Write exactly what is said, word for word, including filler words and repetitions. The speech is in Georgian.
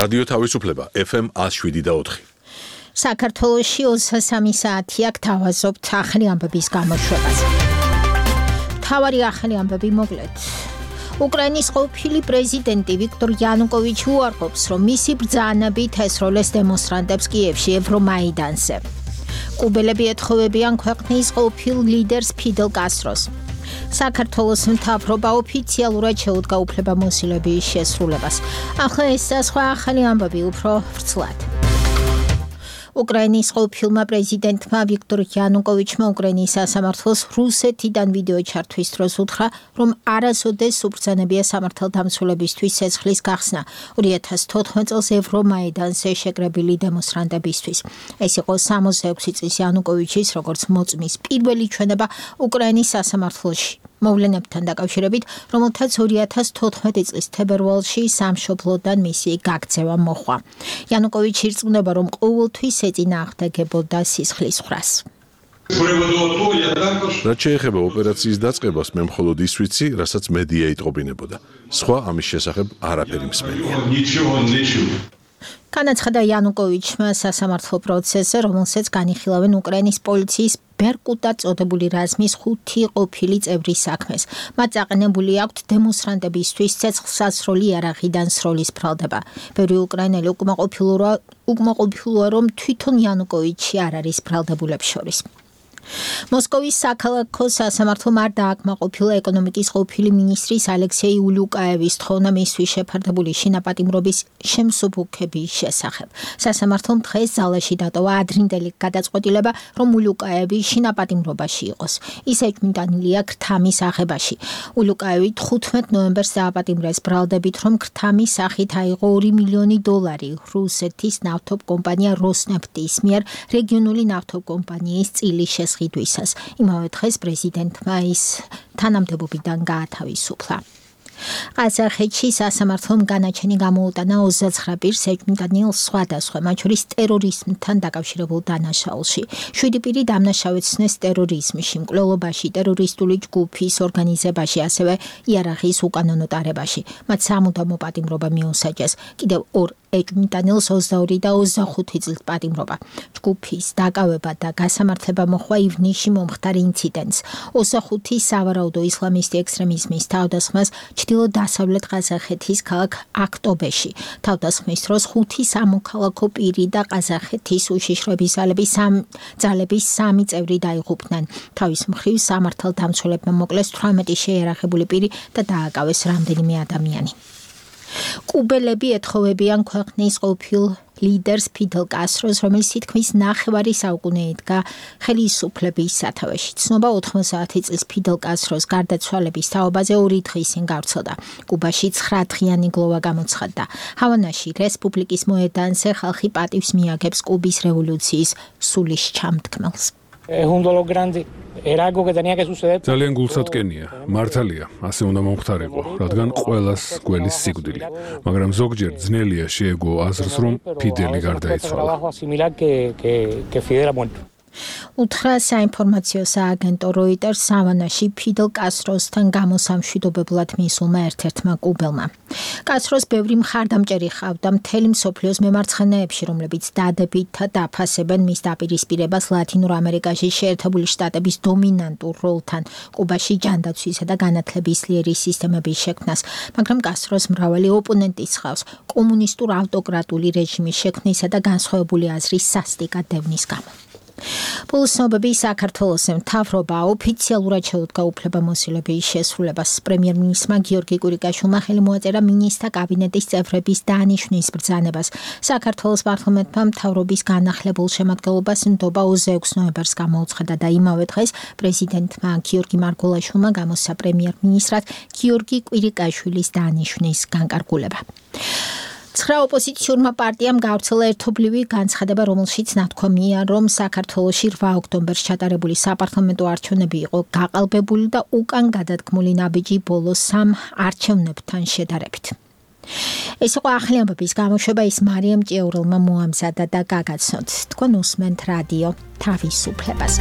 რადიო თავისუფლება ეფ ემ ათს შვიდი და ოთხი. საქართველოში ოცდასამი საათი აქ თავაზობთ ახალი ამბების გამოშვებას. მთავარი ახალი ამბები მოკლედ. უკრაინის ყოფილი პრეზიდენტი ვიქტორ იანუკოვიჩი უარყოფს, რომ მისი ბრძანებით ესროლეს დემონსტრანტებს კიევში ევრომაიდანზე. კუბელები ეთხოვებიან ქვეყნის ყოფილ ლიდერს ფიდელ კასტროს. საქართველოს მთავრობა ოფიციალურად შეუდგა უფლებამოსილების შესრულებას. ახლა ეს და სხვა ახალი ამბები უფრო ვრცლად. უკრაინის ყოფილმა პრეზიდენტმა ვიქტორ იანუკოვიჩმა უკრაინის სასამართლოს რუსეთიდან ვიდეო ჩართვის დროს უთხრა, რომ არასოდეს უბრძანებია სამართალდამცველებისთვის ცეცხლის გახსნა ორი ათას თოთხმეტ წელს ევრომაიდანზე შეკრებილი დემონსტრანტებისთვის. ეს იყო სამოცდა ექვსი წლის იანუკოვიჩის როგორც მოწმის პირველი ჩვენება უკრაინის სასამართლოში. მოვლენებთან დაკავშირებით, რომელთაც ორი ათას თოთხმეტი წლის თებერვალში სამშობლოდან მისი გაქცევა მოჰყვა. იანუკოვიჩი ირწმუნება, რომ ყოველთვის ეწინააღმდეგებოდა სისხლის ხრას. რაც შეეხება ოპერაციის დაწყებას, მე მხოლოდ ის ვიცი, რასაც მედია იტყობინებოდა. სხვა ამის შესახებ არაფერი მსმენია. განაცხადა იანუკოვიჩმა სასამართლო პროცესზე, რომელსაც განიხილავენ უკრაინის პოლიციის ბერკუტა წოდებული რაზმის ხუთი ყოფილი წევრის საქმეს. მათ წაყენებული აქვთ დემონსტრანტებისთვის ცეცხლსასროლი იარაღიდან სროლის ბრალდება. ბევრი უკრაინელი უკმაყოფილოა, რომ თვითონ იანუკოვიჩი არ არის ბრალდებულებს შორის. მოსკოვის საქალაქო სასამართლომ არ დააკმაყოფილა ეკონომიკის ყოფილი მინისტრის ალექსეი ულუკაევის თხოვნა მისთვის შეფარდებული შინაპატიმრობის შემსუბუქების შესახებ. სასამართლომ დღეს ზალაში დატოვა ადრინდელი გადაწყვეტილება, რომ ულუკაევი შინაპატიმრობაში იყოს. ის ეჭვმიტანილია ქრთამის აღებაში. ულუკაევი თხუთმეტ ნოემბერს დააპატიმრეს ბრალდებით, რომ ქრთამის სახით აიღო ორი მილიონი დოლარი რუსეთის ნავთობკომპანია როსნეფტის მიერ რეგიონული ნავთობკომპანიის წილის შესყიდვისას. იმავე დღეს პრეზიდენტმა ის თანამდებობიდან გაათავისუფლა. ყაზახეთში სასამართლომ განაჩენი გამოუტანა ოცდაცხრა პირს ეჭვმიტანილ სხვადასხვა, მათ შორის ტერორიზმთან დაკავშირებულ დანაშაულში. შვიდი პირი დამნაშავეცნეს ტერორიზმში, მკვლელობაში, ტერორისტული ჯგუფის ორგანიზებაში, ასევე იარაღის უკანონო ტარებაში. მათ სამუდამო პატიმრობა მიუსაჯეს. კიდევ ორ ეჭვმიტანილს ოცდაორი და ოცდახუთი წლის პატიმრობა. ჯგუფის დაკავება და გასამართლება მოჰყვა ივნისში მომხდარ ინციდენტს. ოცდახუთი სავარაუდო ისლამისტი ექსტრემიზმის თავდასხმას ჩრდილო-დასავლეთ ყაზახეთის ქალაქ აქტობეში. თავდასხმის დროს ხუთი სამოქალაქო პირი და ყაზახეთის უშიშროების ძალების სამი წევრი დაიღუპნენ. თავის მხრივ სამართალდამცველებმა მოკლეს თვრამეტი შეიარაღებული პირი და დააკავეს რამდენიმე ადამიანი. კუბელები ეთხოვებიან ქვეყნის ყოფილ ლიდერს ფიდელ კასტროს, რომელიც თითქმის ნახევარი საუკუნე იდგა ხელისუფლების სათავეში. ცნობა ოთხმოცდაათი წლის ფიდელ კასტროს გარდაცვალების თაობაზე ორი დღის წინ გავრცელდა. კუბაში ცხრადღიანი გლოვა გამოცხადდა. ჰავანაში რესპუბლიკის მოედანზე ხალხი პატივს მიაგებს კუბის რევოლუციის სულის ჩამდგმელს. ძალიან გულსატკენია, მართალია, ასე უნდა მომხდარიყო, რადგან ყველას გველის სიკვდილი. მაგრამ ზოგჯერ ძნელია შეეგო აზრს, რომ ფიდელი გარდაიცვალა. უთხრა საინფორმაციო სააგენტო როიტერს ჰავანაში ფიდელ კასტროსთან გამოსამშვიდობებლად მისულმა ერთ-ერთმა კუბელმა. კასტროს ბევრი მხარდამჭერი ჰყავდა მთელი მსოფლიოს მემარცხენეებში, რომლებიც დადებით დაფასებენ მის დაპირისპირებას ლათინურ ამერიკაში შეერთებული შტატების დომინანტურ როლთან, კუბაში ჯანდაცვისა და განათლების ძლიერი სისტემების შექმნას, მაგრამ კასტროს მრავალი ოპონენტი სხავს კომუნისტურ ავტოკრატული რეჟიმის შექმნისა და განსხვავებული აზრის სასტიკად დევნის გამო. Პულსნობები საქართველოსზე მთავრობა ოფიციალურად შეუდგა უფლებამოსილების შესრულებას. პრემიერ-მინისტრმა გიორგი კვირიკაშვილმა ხელი მოაწერა მინისტრთა კაბინეტის წევრების დანიშვნის ბრძანებას. საქართველოს პარლამენტმა მთავრობის განახლებულ შემადგენლობას ნდობა ოცდაექვსი ნოემბერს გამოუცხადა და იმავე დღეს პრეზიდენტმა გიორგი მარგველაშვილმა გამოსცა პრემიერ-მინისტრად გიორგი კვირიკაშვილის დანიშვნის განკარგულება. ცხრა ოპოზიციურმა პარტიამ გავრცელა ერთობლივი განცხადება, რომელშიც ნათქვამია, რომ საქართველოში რვა ოქტომბერს ჩატარებული საპარლამენტო არჩევნები იყო გაყალბებული და უკან გადადგმული ნაბიჯი ბოლო სამ არჩევნებთან შედარებით. ეს იყო ახალი ამბების გამოშვება, ის მარიამ ჭიაურელმა მოამზადა და გაგაცნოთ. თქვენ უსმენთ რადიო თავისუფლებას.